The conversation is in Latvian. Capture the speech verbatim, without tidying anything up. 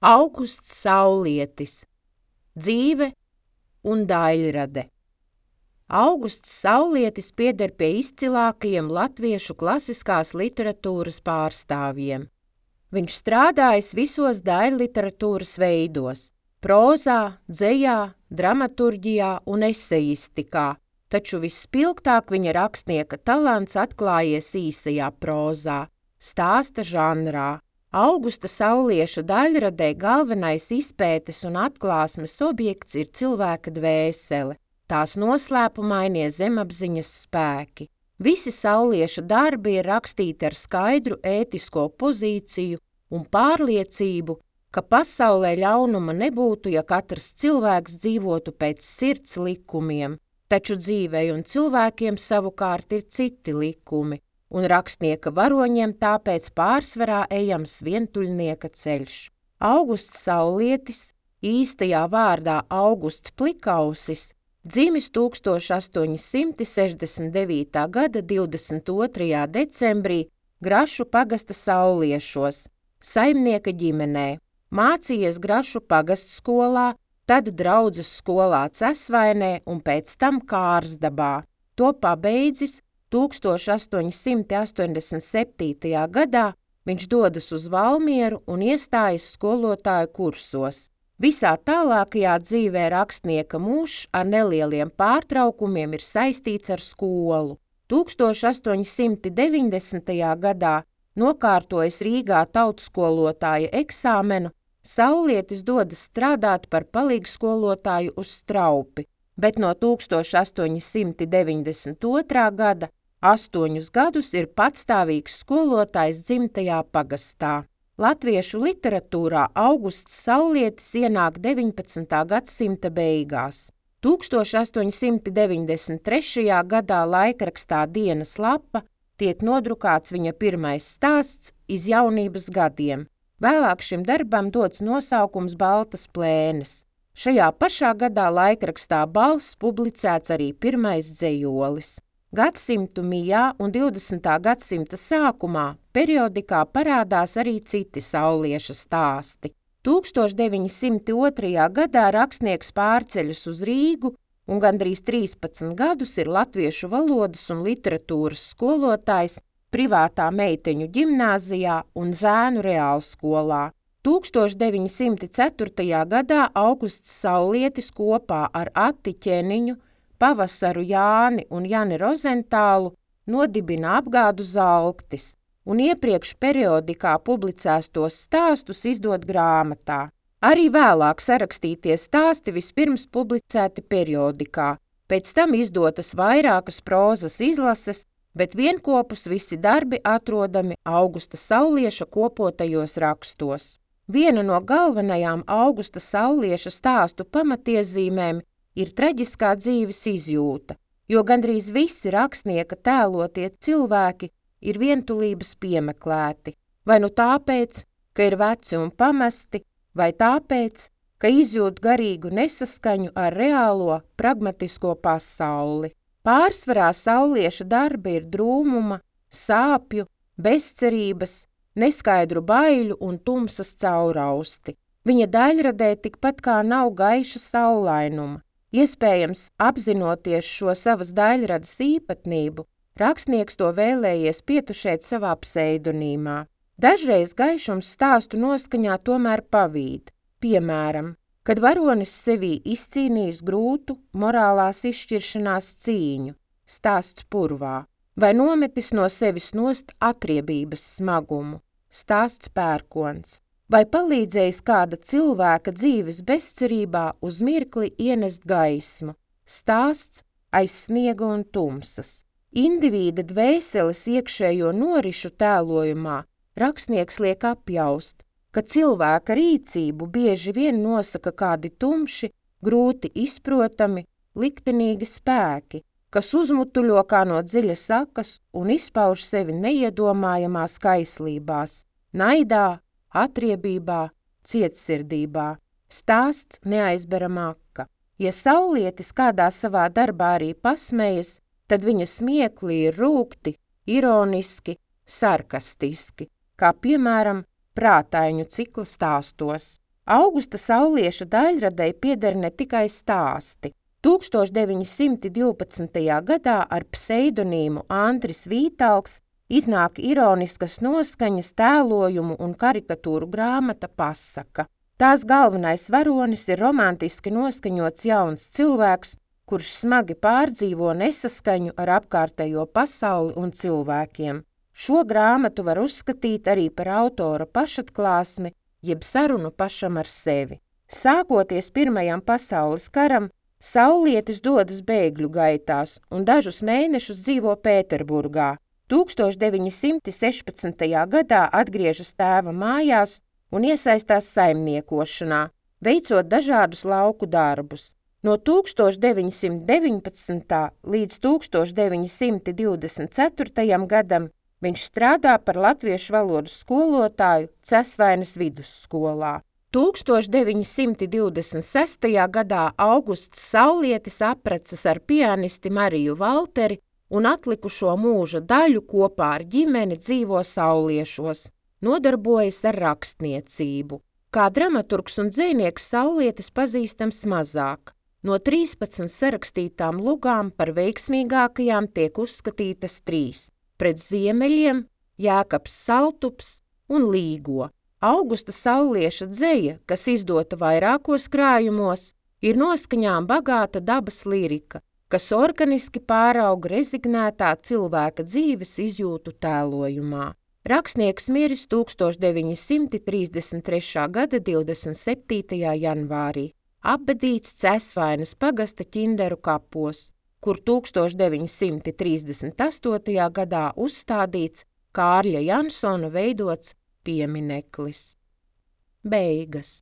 Augusts Saulietis, dzīve un daļrade. Augusts Saulietis pieder pie izcilākajiem latviešu klasiskās literatūras pārstāvjiem. Viņš strādājis visos daļliteratūras veidos – prozā, dzejā, dramaturģijā un esejistikā, taču visspilgtāk viņa rakstnieka talants atklājies īsajā prozā, stāsta žanrā. Augusta Saulieša daļradē galvenais izpētes un atklāsmes objekts ir cilvēka dvēsele, tās noslēpumainie zemapziņas spēki. Visi Saulieša darbi ir rakstīti ar skaidru ētisko pozīciju un pārliecību, ka pasaulē ļaunuma nebūtu, ja katrs cilvēks dzīvotu pēc sirds likumiem, taču dzīvei un cilvēkiem savukārt ir citi likumi, un rakstnieka varoņiem tāpēc pārsvarā ejams vientuļnieka ceļš. Augusts Saulietis, īstajā vārdā Augusts Plikausis, dzimis tūkstoš astoņi simti sešdesmit devītā gada divdesmit otrajā decembrī Grašu pagasta Sauliešos, saimnieka ģimenē. Mācījies Grašu pagastskolā, tad draudzes skolā Cesvainē un pēc tam Kārsdabā. To pabeidzis tūkstoš astoņi simti astoņdesmit septītajā gadā viņš dodas uz Valmieru un iestājas skolotāju kursos. Visā tālākajā dzīvē rakstnieka mūžs ar nelieliem pārtraukumiem ir saistīts ar skolu. tūkstoš astoņi simti deviņdesmitajā gadā nokārtojis Rīgā tautskolotāja eksāmenu, Saulietis dodas strādāt par palīgskolotāju uz Straupi, bet no tūkstoš astoņi simti deviņdesmit otrā gada astoņus gadus ir patstāvīgs skolotājs dzimtajā pagastā. Latviešu literatūrā Augusts Saulietis ienāk deviņpadsmitā gadsimta beigās. tūkstoš astoņi simti deviņdesmit trešajā gadā laikrakstā Dienas lapa tiek nodrukāts viņa pirmais stāsts iz jaunības gadiem. Vēlāk šim darbam dots nosaukums Baltas plēnes. Šajā pašā gadā laikrakstā Balss publicēts arī pirmais dzejolis. Gadsimtu mijā un divdesmitā gadsimta sākumā periodikā parādās arī citi Saulieša stāsti. tūkstoš deviņi simti otrajā gadā rakstnieks pārceļas uz Rīgu un gandrīz trīspadsmit gadus ir latviešu valodas un literatūras skolotājs privātā meiteņu ģimnāzijā un zēnu reālskolā. tūkstoš deviņi simti ceturtajā gadā Augusts Saulietis kopā ar Ati Ķeniņu, Pavasaru Jāni un Jani Rozentālu nodibina apgādu Zalktis un iepriekš periodikā publicētos stāstus izdod grāmatā. Arī vēlāk sarakstītie stāsti vispirms publicēti periodikā, pēc tam izdotas vairākas prozas izlases, bet vienkopus visi darbi atrodami Augusta Saulieša kopotajos rakstos. Viena no galvenajām Augusta Saulieša stāstu pamatiezīmēm ir traģiskā dzīves izjūta, jo gandrīz visi rakstnieka tēlotie cilvēki ir vientulības piemeklēti, vai nu tāpēc, ka ir veci un pamesti, vai tāpēc, ka izjūt garīgu nesaskaņu ar reālo, pragmatisko pasauli. Pārsvarā Saulieša darbi ir drūmuma, sāpju, bezcerības, neskaidru baiļu un tumsas caurausti. Viņa daļradē tikpat kā nav gaiša saulainuma. Iespējams, apzinoties šo savas daļradas īpatnību, rakstnieks to vēlējies pietušēt savā pseidonīmā. Dažreiz gaišums stāstu noskaņā tomēr pavīd, piemēram, kad varonis sevī izcīnījis grūtu morālās izšķiršanās cīņu, stāsts Purvā, vai nometis no sevis nost atriebības smagumu, stāsts Pērkons, vai palīdzējis kāda cilvēka dzīves bezcerībā uz mirkli ienest gaismu, stāsts Aiz sniega un tumsas. Indivīda dvēseles iekšējo norišu tēlojumā rakstnieks liek apjaust, ka cilvēka rīcību bieži vien nosaka kādi tumši, grūti izprotami, liktenīgi spēki, kas uzmutuļo kā no dziļas sakas un izpauž sevi neiedomājamās kaislībās, naidā, atriebībā, cietsirdībā. Stāsts Neaizbera maka. Ja Saulietis kādā savā darbā arī pasmējas, tad viņa smiekli ir rūgti, ironiski, sarkastiski, kā piemēram Prātaiņu cikla stāstos. Augusta Saulieša daļradei pieder ne tikai stāsti. tūkstoš deviņi simti divpadsmitajā gadā ar pseidonīmu Andris Vītalgs iznāk ironiskas noskaņas tēlojumu un karikatūru grāmata Pasaka. Tās galvenais varonis ir romantiski noskaņots jauns cilvēks, kurš smagi pārdzīvo nesaskaņu ar apkārtējo pasauli un cilvēkiem. Šo grāmatu var uzskatīt arī par autora pašatklāsmi, jeb sarunu pašam ar sevi. Sākoties Pirmajam pasaules karam, Saulietis dodas bēgļu gaitās un dažus mēnešus dzīvo Pēterburgā. tūkstoš deviņi simti sešpadsmitajā gadā atgriežas tēva mājās un iesaistās saimniekošanā, veicot dažādus lauku darbus. No tūkstoš deviņi simti deviņpadsmitā līdz tūkstoš deviņi simti divdesmit ceturtajam gadam viņš strādā par latviešu valodas skolotāju Cesvainas vidusskolā. tūkstoš deviņi simti divdesmit sestajā gadā Augusts Saulietis apprecas ar pianisti Mariju Valteri un atlikušo mūža daļu kopā ar ģimeni dzīvo Sauliešos, nodarbojas ar rakstniecību. Kā dramaturgs un dzejnieks Saulietis pazīstams mazāk. No trīspadsmit sarakstītām lugām par veiksmīgākajām tiek uzskatītas trīs – Pret ziemeļiem, Jēkabs Saltups un Līgo. Augusta Saulieša dzeja, kas izdota vairākos krājumos, ir noskaņām bagāta dabas lirika, kas organiski pārauga rezignētā cilvēka dzīves izjūtu tēlojumā. Rakstnieks miris tūkstoš deviņi simti trīsdesmit trešā gada divdesmit septītajā janvārī, apbedīts Cesvainas pagasta Ķinderu kapos, kur tūkstoš deviņi simti trīsdesmit astotajā gadā uzstādīts Kārļa Jansona veidots piemineklis. Beigas.